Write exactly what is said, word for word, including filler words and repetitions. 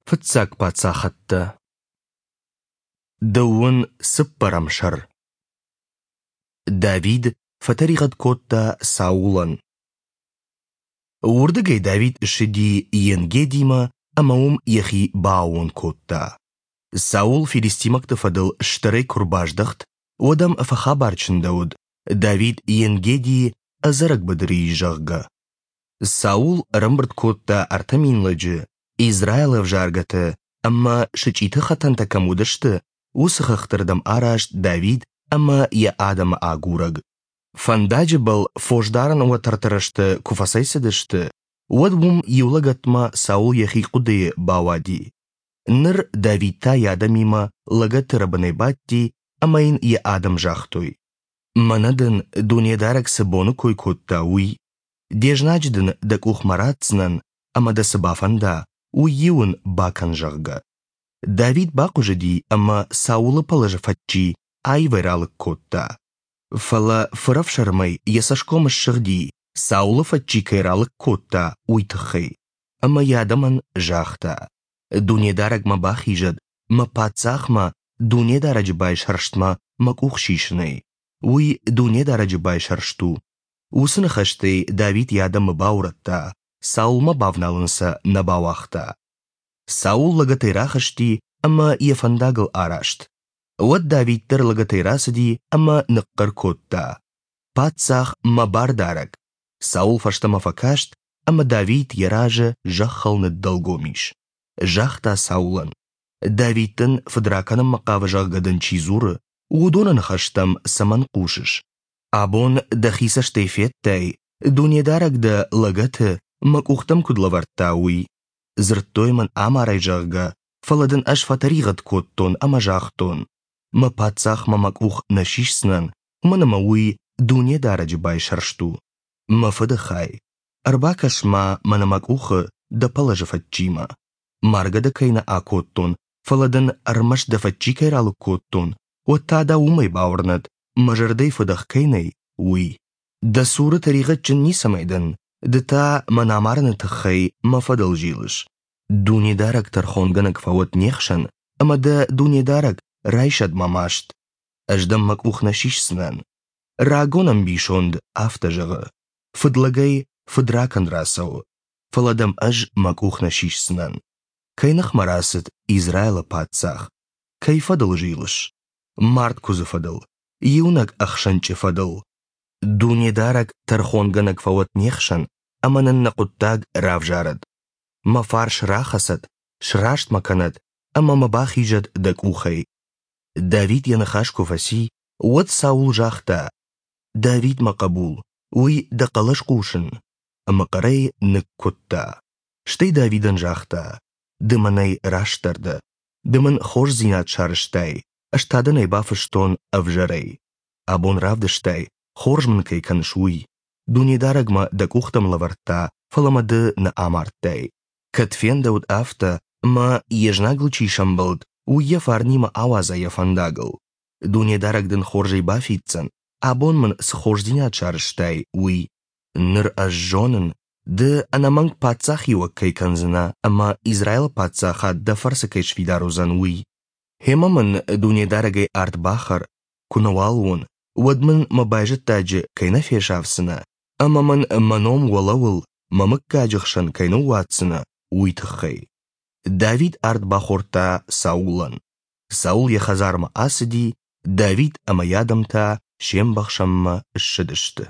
Фыццаг паддзӕхтӕ. Дыууын цыппӕрӕм сӕр. Давид фӕтӕригъӕд кодта Саулӕн. Уырдыгӕй Давид ссыди Ен-Гедимӕ ӕмӕ уым йӕхи бааууон кодта. Саул филистимӕгты фӕдыл стӕрӕй куы ӕрбаздӕхт, уӕд ӕм фӕхабар чындӕуыд, Давид Ен-Гедийы ӕдзӕрӕг быдыры ис, зӕгъгӕ. Саул ӕрӕмбырд кодта ӕртӕ мин лӕджы, Израилы ӕвзаргӕты ӕмӕ сычъиты хӕтӕнтӕ кӕм уыдысты, уыцы хӕхты рдӕм араст Давид ӕмӕ йӕ адӕмы агурӕг. Фӕндаджы был фосдарӕн уӕтӕрты рӕзты куы фӕцӕйцыдысты, уӕд уым иу лӕгӕтмӕ Саул йӕхи хъуыдыйы бауади. Ныр Давид та йӕ адӕмимӕ лӕгӕты рӕбынӕй бадти ӕмӕ йын йӕ адӕм загътой: «Мӕнӕ дын Дунедарӕг цы боны кой кодта, уый. Де знаджы дын дӕ къухмӕ ратдзынӕн, ӕмӕ дӕ цы бафӕнда, уый-иу ын бакӕн, зӕгъгӕ». Давид бахъуызыди ӕмӕ Саулы пӕлӕзы фӕдджи аивӕй ралыг кодта. Фӕлӕ фырӕфсӕрмӕй йӕ цӕсгом ссыгъди, Саулы фӕдджи кӕй ралыг кодта, уый тыххӕй. Ӕмӕ йӕ адӕмӕн загъта: «Дунедарӕг мӕ бахизӕд, мӕ паддзахмӕ, Дунедарӕджы байсӕрстмӕ мӕ къух сисынӕй. Уый Дунедарӕджы байсӕрст у». Уыцы ныхӕстӕй Давид йӕ адӕмы баурӕдта, Саулмӕ бавналын сӕ нӕ бауагъта. Саул лӕгӕтӕй рахызти ӕмӕ йӕ фӕндагыл араст. Уӕд Давид дӕр лӕгӕтӕй рацыди ӕмӕ ныхъхъӕр кодта: «Паддзах, мӕ бардарӕг!» Саул фӕстӕмӕ фӕкаст, ӕмӕ Давид йӕ разы зӕххыл ныддӕлгом ис. Загъта Саулӕн: «Давид дын фыдракӕнынмӕ хъавы, зӕгъгӕ дын чи дзуры, уыдоны ныхӕстӕм цӕмӕн хъусыс? Абон дӕхи цӕстӕй федтай, Дунедарӕг дӕ лӕгӕты мӕ къухтӕм куыд лӕвӕрдта, уый. Дзырдтой мын амарай, зӕгъгӕ, фӕлӕ дын ӕз фӕтӕригъӕд кодтон ӕмӕ загътон: мӕ паддзахмӕ мӕ къух нӕ сисдзынӕн, уымӕн ӕмӕ уый Дунедарӕджы байсӕрст у. Мӕ фыды хай, ӕрбакӕс-ма мӕнӕ мӕ къухы дӕ пӕлӕзы фӕдджимӕ. Маргӕ дӕ кӕй нӕ акодтон, фӕлӕ дын ӕрмӕст дӕ фӕдджи кӕй ралыг кодтон, уӕд та дӕ уымӕй бауырнӕд, мӕ зӕрдӕйы фыдӕх кӕй нӕй, уый. Дӕ цуры тӕригъӕдджын ницӕмӕй дӕн, ды та мӕн амарыны тыххӕй мӕ фӕдыл зилыс. Дунедарӕг тӕрхонгӕнӕг фӕуӕд не хсӕн, ӕмӕ дӕ Дунедарӕг райсӕд мӕ маст. Ӕз дӕм мӕ къух нӕ сисдзынӕн. Рагон ӕмбисонд афтӕ зӕгъы: фыдлӕгӕй фыдракӕнд рацӕуы, фӕлӕ дӕм ӕз мӕ къух нӕ сисдзынӕн. Кӕй ныхмӕ рацыд Израилы паддзах? Кӕй фӕдыл зилыс? Мард куыдзы фӕдыл, иунӕг ӕхсӕнчъы фӕдыл. Дунедарӕг тӕрхонгӕнӕг фӕуӕд не хсӕн ӕмӕ нын нӕ хъуыддаг равзарӕд. Мӕ фарс рахӕцӕд, сраст мӕ кӕнӕд ӕмӕ мӕ бахизӕд дӕ къухӕй. Давид йӕ ныхас куы фӕци, уӕд Саул загъта: «Давид, мӕ хъӕбул, уый дӕ хъӕлӕс хъусын?» Ӕмӕ хъӕрӕй ныккуыдта. Стӕй Давидӕн загъта: «Ды мӕнӕй растдӕр дӕ, ды мын хорздзинад сарӕзтай, ӕз та дын ӕй бафыстон ӕвзӕрӕй. Абон равдыстай, хорз мын кӕй кӕныс, уый. Дунедарӕг мӕ дӕ къухтӕм лӕвӕрдта, фӕлӕ мӕ ды нӕ амардтай. Кӕд фендӕуыд афтӕ, ӕмӕ йе знагыл чи сӕмбӕлд, уый йӕ фарнимӕ ауадза йӕ фӕндагыл. Дунедарӕг дын хорзӕй бафиддзӕн, абон мын цы хорздзинад сарӕзтай, уый. Ныр ӕз зонын, ды ӕнӕмӕнг паддзахиуӕг кӕй кӕндзынӕ ӕмӕ Израилы паддзахад дӕ фӕрцы кӕй сфидар уыдзӕн, уый. Гъемӕ мын Дунедарӕгӕй ард бахӕр, куы нӕуал уон, уӕд мын мӕ байзӕддаджы кӕй нӕ фесафдзынӕ ӕмӕ мын мӕ ном уӕлӕуыл мӕ мыггаджы хсӕн кӕй ныууадздзынӕ, уый тыххӕй». Давид ард бахордта Саулӕн. Саул йӕ хӕдзармӕ ацыди, Давид ӕмӕ йӕ адӕм та се мбӕхсӕнмӕ ссыдысты.